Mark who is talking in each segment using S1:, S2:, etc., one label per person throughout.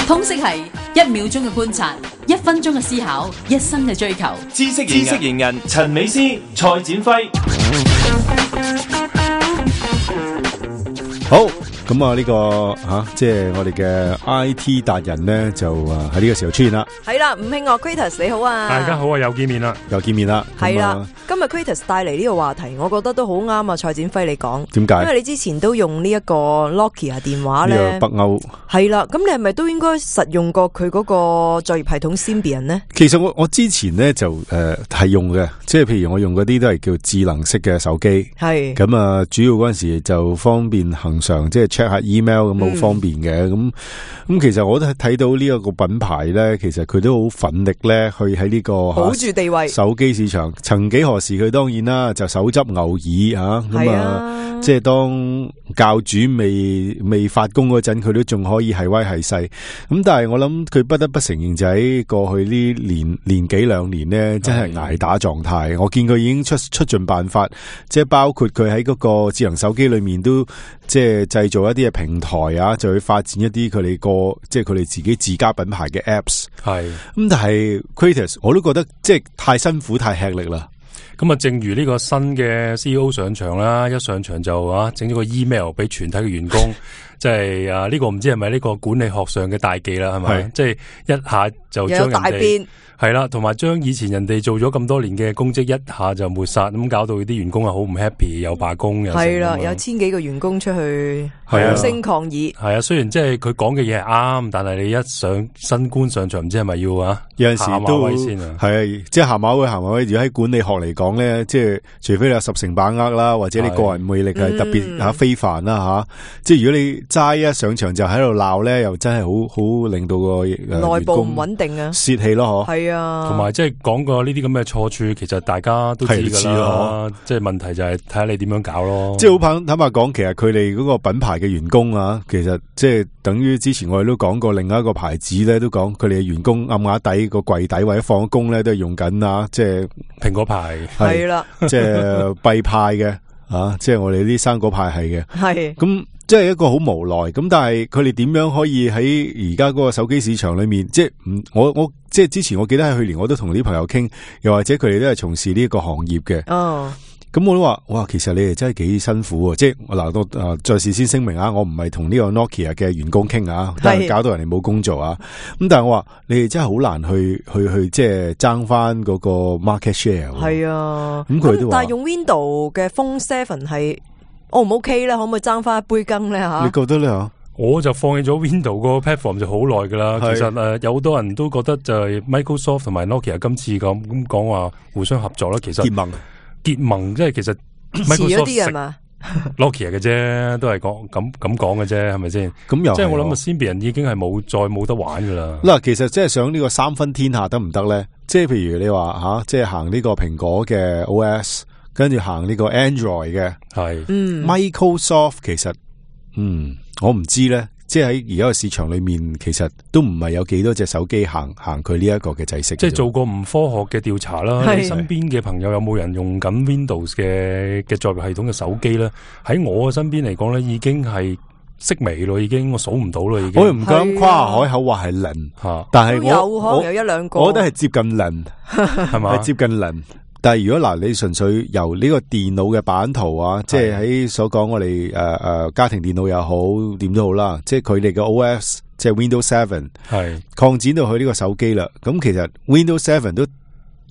S1: 通識係1秒鐘嘅觀察，1分鐘嘅思考，一生嘅追求。
S2: 知識型人陳美詩、蔡展輝。
S3: 好，咁啊呢個即係我哋嘅 IT 達人咧，就喺呢個時候出現啦。
S4: 係啦，吳慶岳 Kratos 你好啊，
S5: 大家好啊，又見面啦。
S4: 係啦，今日 Kratos 帶嚟呢個話題，我覺得都好啱啊。蔡展輝你講，
S3: 點解？
S4: 因為你之前都用呢一個 Nokia 電話咧，
S3: 呢個北歐
S4: 係啦，咁你係咪都應該實用過佢嗰個作業系統 Symbian 呢？
S3: 其實我之前咧就係用嘅，即係譬如我用嗰啲都係叫智能式嘅手機，係咁啊，主要嗰陣時就方便恒常，即係 check 下 email 咁好方便嘅。咁其實我都睇到呢一個品牌咧，其實佢都好奮力咧去喺呢個
S4: 保住地位
S3: 手機市場。曾幾何時佢當然啦就手執牛耳咁啊，即係當教主未發功嗰陣，佢都仲可以係威係勢。咁但係我諗佢不得不承認，就喺過去呢年幾兩年呢，真係捱打狀態。我見佢已經出盡辦法，即係包括佢喺嗰個智能手機裏面都即係製造一啲嘅平台就去發展一啲佢哋即係佢哋自己自家品牌嘅 apps。係咁，但係 Kratos 我都覺得即係太辛苦太吃力啦。
S5: 咁啊，正如呢個新嘅 CEO 上場啦，一上場就整咗個 email 俾全體嘅員工，即係呢個唔知係咪呢個管理學上嘅大忌啦，係咪？即係一下就將人哋係啦，同埋將以前人哋做咗咁多年嘅功績一下就抹殺，咁搞到啲員工好唔 happy， 又罷工又係啦，
S4: 有千幾個員工出去發聲抗議。係
S5: 啊，雖然即係佢講嘅嘢係啱，但係你一上新官上場，唔知係咪要
S3: 有陣時都係即係下馬威。如果喺管理學嚟講咧，即係除非你有10成把握啦，或者你個人魅力係特別非凡啦即係如果你齋一上場就喺度鬧咧，又真係好令到個
S4: 內部唔穩定啊，
S3: 泄氣咯，
S4: 係啊。
S5: 同埋即係講過呢啲咁嘅錯處，其實大家都知㗎啦。即係問題就係睇下你點樣搞咯。
S3: 即係好坦白講，其實佢哋嗰個品牌嘅員工其實即係等於之前我哋都講過，另外一個牌子咧都講佢哋嘅員工暗啞底個櫃底或者放工咧都係用緊即係
S5: 蘋果牌
S3: 係啦，即係弊派嘅即係我哋啲生果派係嘅，係咁。即係一個好無奈咁，但係佢哋點樣可以喺而家嗰個手機市場裏面？即係我即係之前我記得喺去年我都同啲朋友傾，又或者佢哋都係從事呢一個行業嘅。咁我都話哇，其實你哋真係幾辛苦啊！即係嗱，再事先聲明我唔係同呢個 Nokia 嘅員工傾但係搞到人哋冇工做咁但係我話你哋真係好難去即係爭翻嗰個 market share。係啊，咁佢都話，
S4: 但係用 Windows 嘅 Phone 7係。O 唔 OK 咧？可唔可以爭翻一杯羹咧？
S3: 你覺得咧？
S5: 我就放棄咗 Windows 個 platform 就好耐噶啦。其實有好多人都覺得就係 Microsoft 同埋 Nokia 今次咁講話互相合作啦。其實結盟即係其實 Microsoft
S4: 啲係嘛
S5: Nokia 嘅啫，都係咁講嘅啫，係咪先？咁又即係我諗Symbian已經係冇得玩噶啦。
S3: 嗱，其實即係想呢個三分天下得唔得咧？即係譬如你話即係行呢個蘋果嘅 OS。跟住行呢個 Android 嘅係，Microsoft 其實我唔知咧，即係喺而家個市場裏面，其實都唔係有幾多隻手機行佢呢一個嘅制式。
S5: 即係做過唔科學嘅調查啦，你身邊嘅朋友有冇人用緊 Windows 嘅作業系統嘅手機咧？喺我嘅身邊嚟講咧，已經係式微咯，已經我數唔到咯，已經。我又唔敢誇
S3: 海口話係零，但係
S4: 有一兩個，
S3: 我覺得係接近零，係嘛？係接近零。但係如果你純粹由呢個電腦嘅版圖即係喺所講我哋家庭電腦又好點都好啦，即係佢哋嘅 OS 即係 Windows 7係擴展到去呢個手機啦。咁其實 Windows 7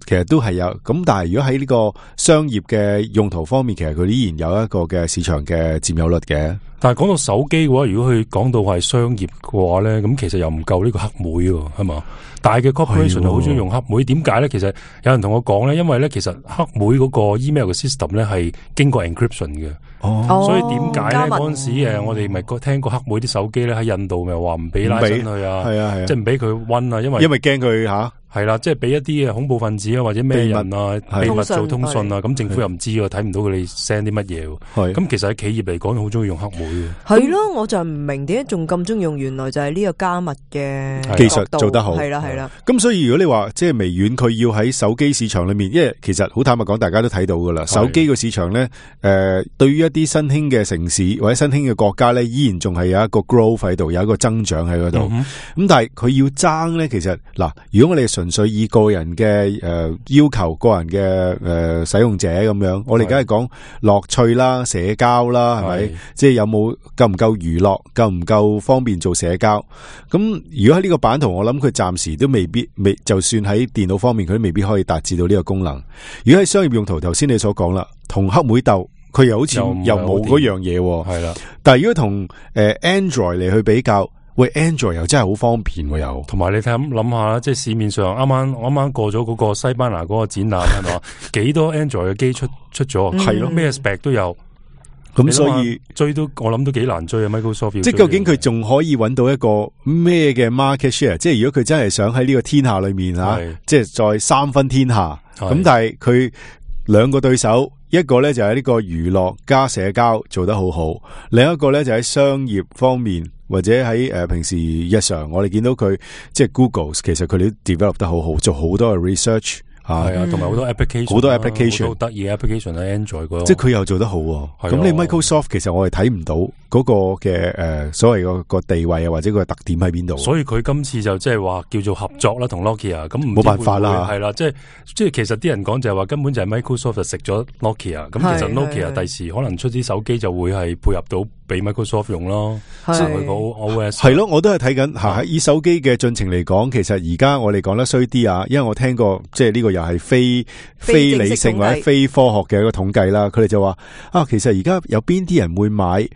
S3: 其實都係有咁，但係如果喺呢個商業嘅用途方面，其實佢依然有一個嘅市場嘅佔有率嘅。
S5: 但係講到手機嘅話，如果佢講到係商業嘅話咧，咁其實又唔夠呢個黑莓喎，係嘛？大嘅 corporation 就好中意用黑莓，點解咧？其實有人同我講咧，因為咧其實黑莓嗰個 email 嘅 system 咧係經過 encryption 嘅。所以點解咧嗰陣時我哋咪聽過黑莓啲手機咧喺印度咪話唔俾拉伸去啊，即係唔俾佢溫啊，因為驚佢係啦，即係俾一啲嘅恐怖分子啊，或者咩人啊，秘密做通訊啊，咁政府又唔知喎，睇唔到佢哋 send 啲乜嘢喎。咁其實喺企業嚟講，好中意用黑莓嘅。
S4: 係咯，我就唔明點解仲咁中意用，原來就係呢個加密嘅
S3: 技術做得好。
S4: 係啦。
S3: 咁所以如果你話即係微軟佢要喺手機市場裏面，因為其實好坦白講，大家都睇到噶啦，手機個市場咧，對於一啲新興嘅城市或者新興嘅國家咧，依然仲係有一個 growth 喺度，有一個增長喺嗰度。咁但係佢要爭咧，其實嗱，如果我哋純粹以個人嘅要求，個人嘅使用者咁樣，我哋梗係講樂趣啦、社交啦，係咪？即係有冇夠唔夠娛樂，夠唔夠方便做社交？咁如果喺呢個版圖，我諗佢暫時都未，就算喺電腦方面，佢都未必可以達至到呢個功能。如果喺商業用途，頭先你所講啦，同黑莓鬥，佢又好似又冇嗰樣嘢，係啦。但係如果同Android 嚟去比較。喂 ，Android 又真係好方便喎，又
S5: 同埋你諗下啦，即係市面上啱啱過咗嗰個西班牙嗰個展覽係嘛，幾多 Android 嘅機出咗，係咯，咩 spec 都有。
S3: 咁所以
S5: 追都我諗都幾難追啊 ，Microsoft。即係
S3: 究竟佢仲可以揾到一個咩嘅 market share？ 即係如果佢真係想喺呢個天下裏面即係再三分天下。咁但係佢兩個對手，一個咧就喺呢個娛樂加社交做得好好，另一個咧就喺商業方面。或者喺平時日常，我哋見到佢即係 Google， 其實佢哋都 develop 得好好，做好多嘅 research
S5: 係啊，同埋好多 application， 好多 application， 好得意嘅 application 喺 Android 嗰度，
S3: 即係佢又做得好。咁你 Microsoft 其實我係睇唔到嗰個嘅所謂個地位啊，或者個特點喺邊度。
S5: 所以佢今次就即係話叫做合作啦，同 Nokia 咁
S3: 冇辦法啦，
S5: 係啦，即係其實啲人講就係話根本就係 Microsoft 就食咗 Nokia， 咁其實 Nokia 第時可能出啲手機就會係配合到俾 Microsoft 用咯，即係佢個 OS
S3: 係咯，我都係睇緊喺以手機嘅進程嚟講，其實而家我哋講得衰啲啊，因為我聽過即係呢個又係非理性或者非科學嘅一個統計啦。佢哋就話其實而家有邊啲人會買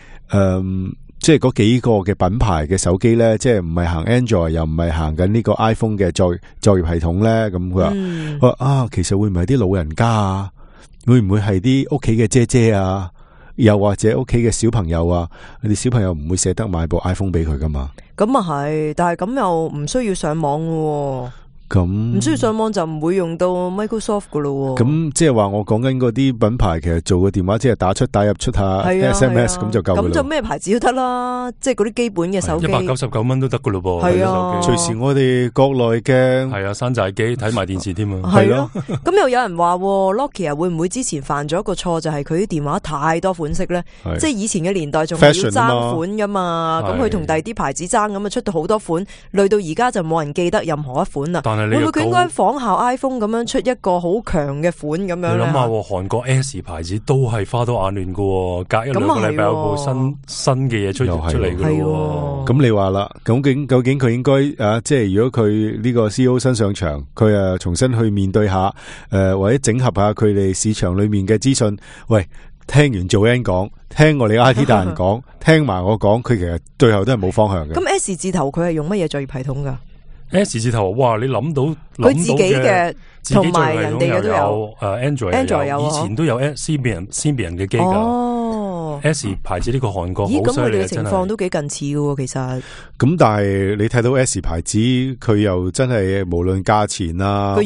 S3: 即係嗰幾個嘅品牌嘅手機咧，即係唔係行 Android 又唔係行緊呢個 iPhone 嘅作業系統咧？咁佢話其實會唔會係啲老人家啊？會唔會係啲屋企嘅姐姐啊？又或者屋企嘅小朋友啊？你哋小朋友唔會捨得買部 iPhone 俾佢噶嘛？
S4: 咁啊係，但係咁又唔需要上網喎。咁唔需要上網就唔會用到 Microsoft 噶咯。咁
S3: 即係話我講緊嗰啲品牌，其實做個電話即係打出打入出下 SMS 咁就夠噶啦。咁就咩牌子都得啦，即係嗰啲基本嘅手機
S5: 199蚊都得噶咯噃。
S4: 係啊，
S3: 隨時我哋國內嘅
S5: 係啊山寨機睇埋電視添啊。
S4: 係咯。咁又有人話 Nokia 會唔會之前犯咗一個錯，就係佢啲電話太多款式咧？即係以前嘅年代仲係要爭款噶嘛。咁佢同第二啲牌子爭咁啊，出到好多款，累到而家就冇人記得任何一款啦。會唔會佢應該仿效 iPhone 咁樣出一個好強嘅款咁樣？你
S5: 諗下，韓國 S 牌子都係花多眼亂㗎，隔一兩個禮拜有部新嘅嘢出嚟㗎。
S3: 咁你話啦，究竟佢應該即係如果佢呢個 CEO 新上場，佢重新去面對下或者整合下佢哋市場裏面嘅資訊。喂，聽完做 N 講，聽我哋 IT 大人講，聽埋我講，佢其實最後都係冇方向嘅。
S4: 咁 S 字頭佢係用乜嘢作業系統㗎
S5: ？S 字頭，哇！你諗到
S4: 佢自己嘅，同埋人哋嘅都有。
S5: Android 有，以前都有 Symbian 嘅機㗎。S 牌子呢個韓國好犀利啊！
S4: 咁佢哋嘅情況都幾近似嘅，其實。
S3: 咁但係你睇到 S 牌子，佢又真係無論價錢啊，個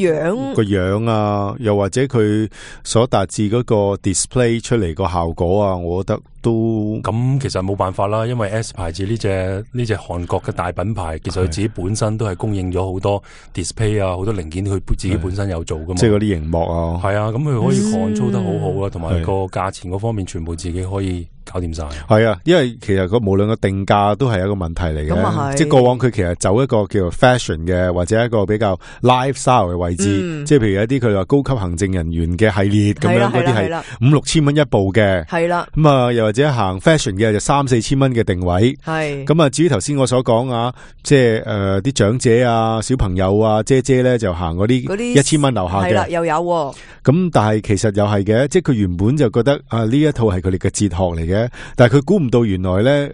S3: 樣啊，又或者佢所達至嗰個 display 出嚟個效果啊，我覺得都
S5: 咁其實冇辦法啦，因為 S 牌子呢隻韓國嘅大品牌，其實佢自己本身都係供應咗好多 display 啊，好多零件佢自己本身有做噶嘛，
S3: 即係嗰啲熒幕啊，
S5: 係啊，咁佢可以control得好好啊，同埋個價錢嗰方面全部自己可以搞掂晒。
S3: 係啊，因為其實無論個定價都係一個問題嚟嘅，即係過往佢其實走一個叫做 fashion 嘅或者一個比較 lifestyle 嘅位置，即係譬如一啲佢話高級行政人員嘅系列咁樣，嗰啲係5-6千蚊一部嘅，係啦，咁啊又或者行 fashion 嘅就3-4千蚊嘅定位，係咁啊。至於頭先我所講啊，即係啲長者啊、小朋友啊、姐姐咧就行嗰啲1000蚊樓下嘅，係啦，又有咁，但係其實又係嘅，即係佢原本就覺得呢一套係佢哋嘅哲學嚟嘅，但係佢估唔到原來咧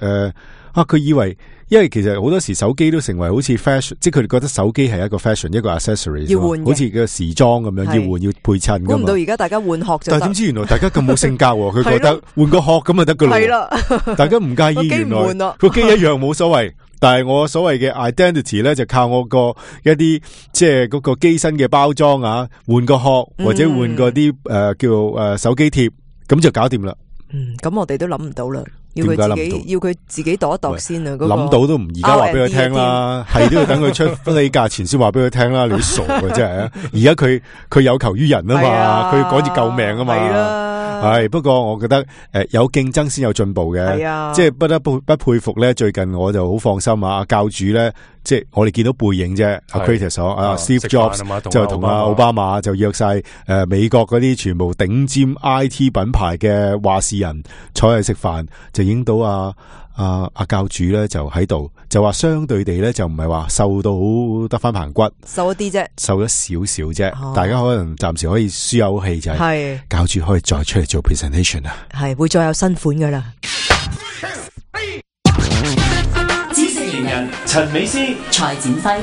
S3: 佢以為，因為其實好多時手機都成為好似 fashion， 即係佢哋覺得手機係一個 fashion， 一個 accessory， 要換，好似個時裝咁樣，要換要配襯。估唔
S4: 到而家大家換殼就得，
S3: 但係點知原來大家咁冇性格，佢覺得換個殼咁就得噶啦。係啦，大家唔介意，原來個機一樣冇所謂，但係我所謂嘅 identity 咧，就靠我個一啲即係嗰個機身嘅包裝啊，換個殼或者換個啲叫手機貼，咁就搞掂啦。
S4: 咁我哋都諗唔到啦。要佢自己度一度先啊！
S3: 諗到都唔而家話俾佢聽啦，係都要等佢出呢價錢先話俾佢聽啦。你傻嘅真係啊！而家佢有求於人啊嘛，佢趕住救命啊嘛。係不過我覺得有競爭先有進步嘅，即係不得不佩服咧。最近我就好放心啊，教主咧，即係我哋見到背影啫。阿 Kratos Steve Jobs 就同阿奧巴馬就約晒美國嗰啲全部頂尖 IT 品牌嘅話事人坐喺食飯，就影到阿教主咧就喺度，就話相對地咧就唔係話瘦到好得翻棚骨，瘦一啲啫，瘦咗少少啫。大家可能暫時可以舒口氣，就係教主可以再出嚟做 presentation 啊，係會再有新款噶啦。
S2: 知識型人陳美詩、蔡展輝。